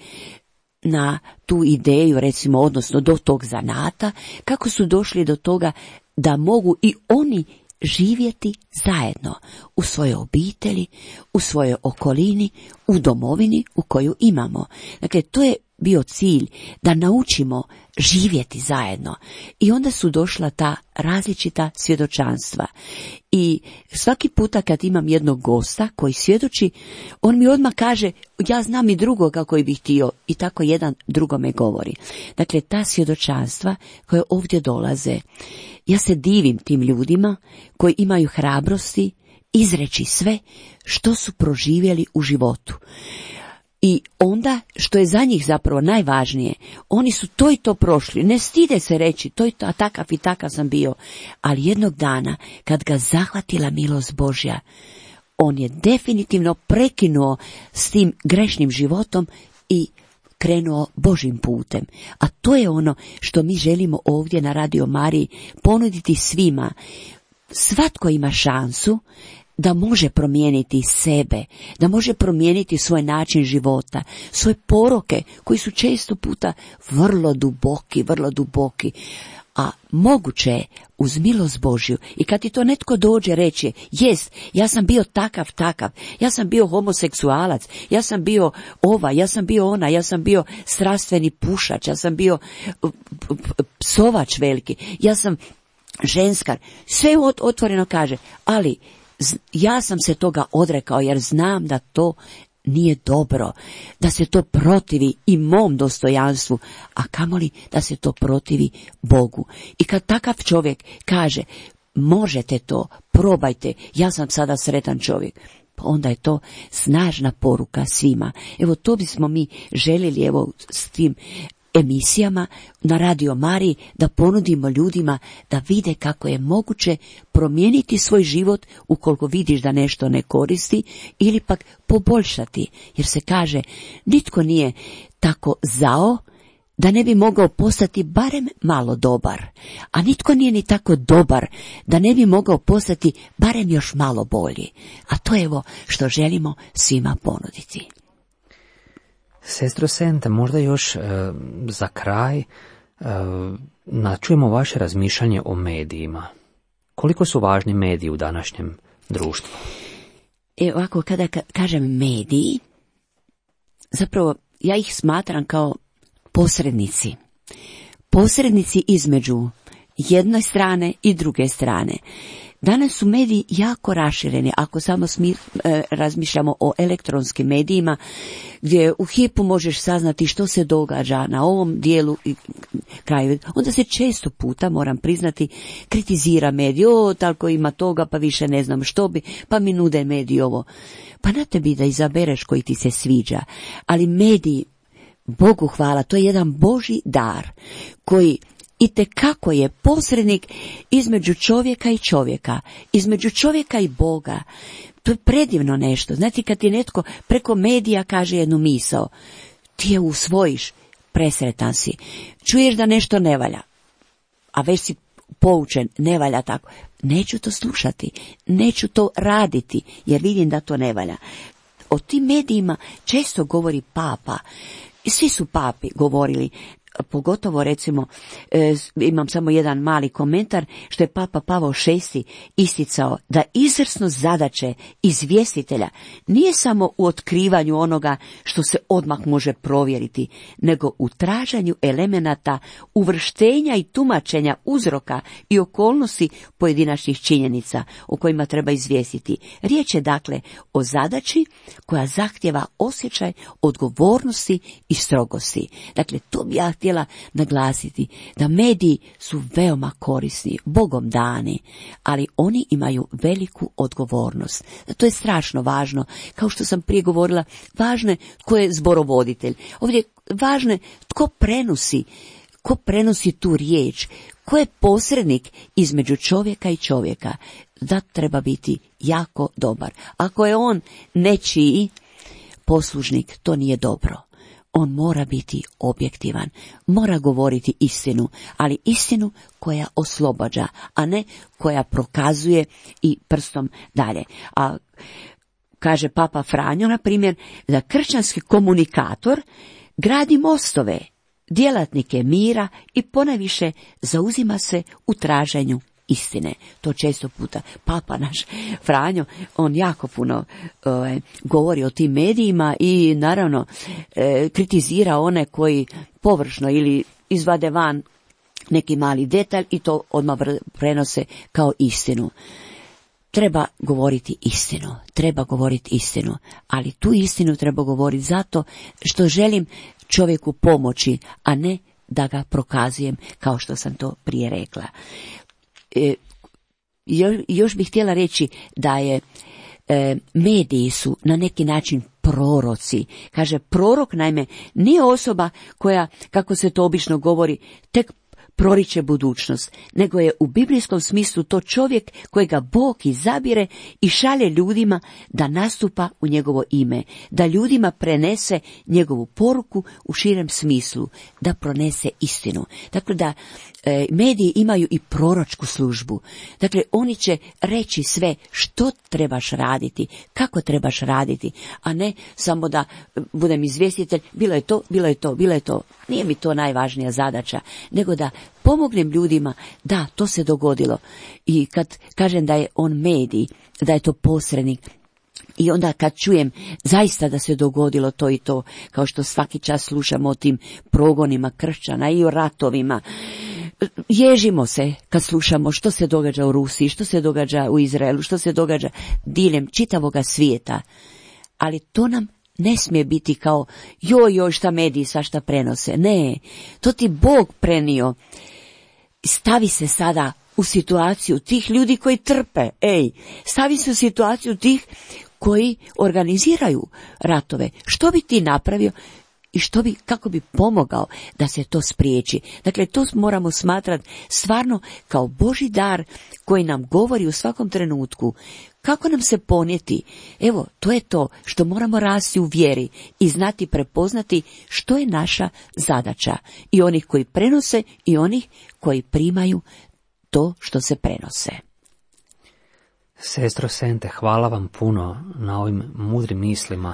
na tu ideju, recimo, odnosno do tog zanata, kako su došli do toga da mogu i oni živjeti zajedno u svojoj obitelji, u svojoj okolini, u domovini u koju imamo. Dakle, to je bio cilj, da naučimo živjeti zajedno. I onda su došla ta različita svjedočanstva. I svaki puta kad imam jednog gosta koji svjedoči, on mi odmah kaže, ja znam i drugoga koji bih htio, i tako jedan drugome govori. Dakle, ta svjedočanstva koje ovdje dolaze, ja se divim tim ljudima koji imaju hrabrosti izreći sve što su proživjeli u životu. I onda, što je za njih zapravo najvažnije, oni su to i to prošli, ne stide se reći, to i to, a takav i takav sam bio. Ali jednog dana, kad ga zahvatila milost Božja, on je definitivno prekinuo s tim grešnim životom i krenuo Božjim putem. A to je ono što mi želimo ovdje na Radio Mariji ponuditi svima. Svatko ima šansu da može promijeniti sebe, da može promijeniti svoj način života, svoje poroke koji su često puta vrlo duboki, vrlo duboki. A moguće je uz milost Božju, i kad ti to netko dođe reći, jest, ja sam bio takav, takav, ja sam bio homoseksualac, ja sam bio ova, ja sam bio ona, ja sam bio strastveni pušač, ja sam bio psovač veliki, ja sam ženskar, sve otvoreno kaže, ali ja sam se toga odrekao jer znam da to nije dobro, da se to protivi i mom dostojanstvu, a kamoli da se to protivi Bogu. I kad takav čovjek kaže, možete to, probajte, ja sam sada sretan čovjek, onda je to snažna poruka svima. Evo, to bismo mi željeli, evo, s tim emisijama na Radio Mariji, da ponudimo ljudima da vide kako je moguće promijeniti svoj život ukoliko vidiš da nešto ne koristi, ili pak poboljšati, jer se kaže, nitko nije tako zao da ne bi mogao postati barem malo dobar, a nitko nije ni tako dobar da ne bi mogao postati barem još malo bolji. A to je evo što želimo svima ponuditi. Sestro Senta, možda još e, za kraj e, načujemo vaše razmišljanje o medijima. Koliko su važni mediji u današnjem društvu? E, ovako, kada ka- kažem mediji, zapravo ja ih smatram kao posrednici. Posrednici između jedne strane i druge strane. Danas su mediji jako rašireni, ako samo smi, e, razmišljamo o elektronskim medijima, gdje u hipu možeš saznati što se događa na ovom dijelu i kraju. Onda se često puta, moram priznati, kritizira medij, o, tako ima toga, pa više ne znam što bi, pa mi nude mediji ovo. Pa na tebi da izabereš koji ti se sviđa, ali mediji, Bogu hvala, to je jedan Božji dar koji itekako je posrednik između čovjeka i čovjeka, između čovjeka i Boga. To je predivno nešto. Znate, kad ti netko preko medija kaže jednu misao, ti je usvojiš, presretan si. Čuješ da nešto ne valja, a već si poučen, ne valja tako. Neću to slušati, neću to raditi, jer vidim da to ne valja. O tim medijima često govori papa. Svi su papi govorili, pogotovo recimo, e, imam samo jedan mali komentar, što je papa Pavao šesti isticao da izvrsnost zadaće izvjestitelja nije samo u otkrivanju onoga što se odmah može provjeriti, nego u traženju elemenata uvrštenja i tumačenja uzroka i okolnosti pojedinačnih činjenica o kojima treba izvijestiti. Riječ je dakle o zadaći koja zahtjeva osjećaj odgovornosti i strogosti. Dakle, to bi ja htjela naglasiti, da mediji su veoma korisni, Bogom dani, ali oni imaju veliku odgovornost. To je strašno važno. Kao što sam prije govorila, važno je tko je zborovoditelj. Ovdje važno je tko prenosi, ko prenosi tu riječ, ko je posrednik između čovjeka i čovjeka. Da treba biti jako dobar. Ako je on nečiji poslužnik, to nije dobro. On mora biti objektivan, mora govoriti istinu, ali istinu koja oslobađa, a ne koja prokazuje i prstom dalje. A kaže papa Franjo, na primjer, da kršćanski komunikator gradi mostove, djelatnike mira i ponajviše zauzima se u traženju istine. To često puta papa naš Franjo, on jako puno e, govori o tim medijima i naravno e, kritizira one koji površno ili izvade van neki mali detalj i to odmah prenose kao istinu. Treba govoriti istinu, treba govoriti istinu, ali tu istinu treba govoriti zato što želim čovjeku pomoći, a ne da ga prokazujem kao što sam to prije rekla. E, još bih htjela reći da je e, mediji su na neki način proroci. Kaže, prorok naime nije osoba koja, kako se to obično govori, tek proriče budućnost, nego je u biblijskom smislu to čovjek kojega Bog izabire i šalje ljudima da nastupa u njegovo ime, da ljudima prenese njegovu poruku u širem smislu, da pronese istinu. Dakle, da e, mediji imaju i proročku službu. Dakle, oni će reći sve što trebaš raditi, kako trebaš raditi, a ne samo da budem izvjestitelj, bilo je to, bilo je to, bilo je to. Nije mi to najvažnija zadaća, nego da pomognem ljudima, da, to se dogodilo. I kad kažem da je on medij, da je to posrednik, i onda kad čujem zaista da se dogodilo to i to, kao što svaki čas slušamo o tim progonima kršćana i o ratovima, ježimo se kad slušamo što se događa u Rusiji, što se događa u Izraelu, što se događa diljem čitavoga svijeta. Ali to nam ne smije biti kao joj, joj, šta mediji svašta prenose. Ne, to ti Bog prenio. Stavi se sada u situaciju tih ljudi koji trpe. Ej, stavi se u situaciju tih koji organiziraju ratove. Što bi ti napravio i što bi, kako bi pomogao da se to spriječi? Dakle, to moramo smatrati stvarno kao Božji dar koji nam govori u svakom trenutku kako nam se ponijeti. Evo, to je to što moramo rasti u vjeri i znati prepoznati što je naša zadaća. I onih koji prenose i onih koji primaju to što se prenose. Sestro Sente, hvala vam puno na ovim mudrim mislima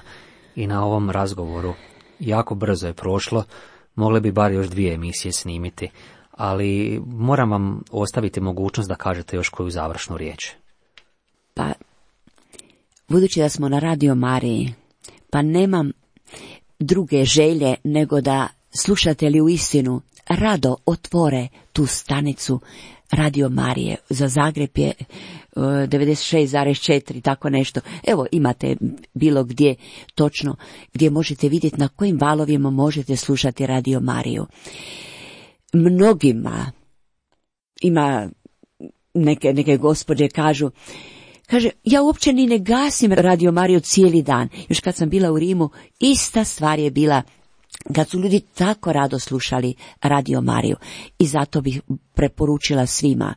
i na ovom razgovoru. Jako brzo je prošlo, mogli bi bar još dvije emisije snimiti, ali moram vam ostaviti mogućnost da kažete još koju završnu riječ. Pa, budući da smo na Radio Mariji, pa nemam druge želje nego da slušatelji u istinu rado otvore tu stanicu Radio Marije. Za Zagreb je devedeset šest zarez četiri, tako nešto. Evo, imate bilo gdje točno, gdje možete vidjeti na kojim valovima možete slušati Radio Mariju. Mnogima, ima neke, neke gospođe kažu, kaže, ja uopće ni ne gasim Radio Mariju cijeli dan. Još kad sam bila u Rimu, ista stvar je bila kad su ljudi tako rado slušali Radio Mariju. I zato bih preporučila svima,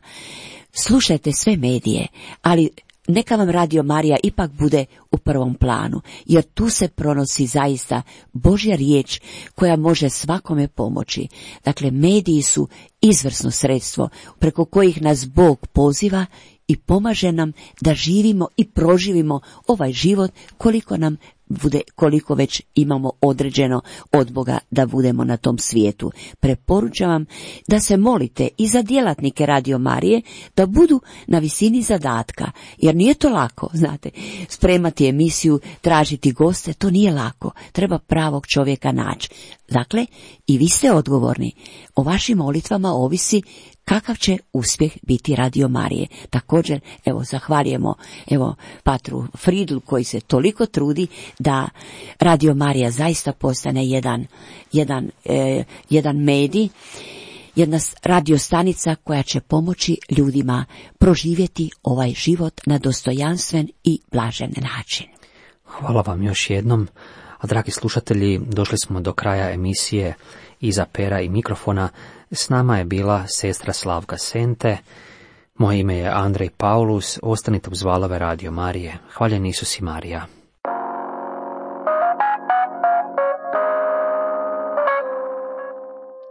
slušajte sve medije, ali neka vam Radio Marija ipak bude u prvom planu, jer tu se pronosi zaista Božja riječ koja može svakome pomoći. Dakle, mediji su izvrsno sredstvo preko kojih nas Bog poziva i pomaže nam da živimo i proživimo ovaj život koliko nam bude, koliko već imamo određeno od Boga da budemo na tom svijetu. Preporučavam da se molite i za djelatnike Radio Marije da budu na visini zadatka, jer nije to lako, znate, spremati emisiju, tražiti goste, to nije lako, treba pravog čovjeka naći. Dakle, i vi ste odgovorni. O vašim molitvama ovisi kakav će uspjeh biti Radio Marije. Također, evo, zahvaljujemo, evo, patru Fridlu koji se toliko trudi da Radio Marija zaista postane jedan, jedan, eh, jedan medij, jedna radiostanica koja će pomoći ljudima proživjeti ovaj život na dostojanstven i blažen način. Hvala vam još jednom. A dragi slušatelji, došli smo do kraja emisije Iza pera i mikrofona. S nama je bila sestra Slavka Sente. Moje ime je Andrej Paulus. Ostanite uz valove Radio Marije. Hvaljen Isus i Marija.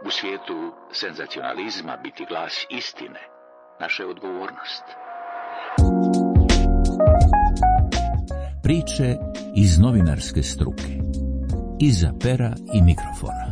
U svijetu senzacionalizma biti glas istine, naša je odgovornost. Priče iz novinarske struke. Iza pera i mikrofona.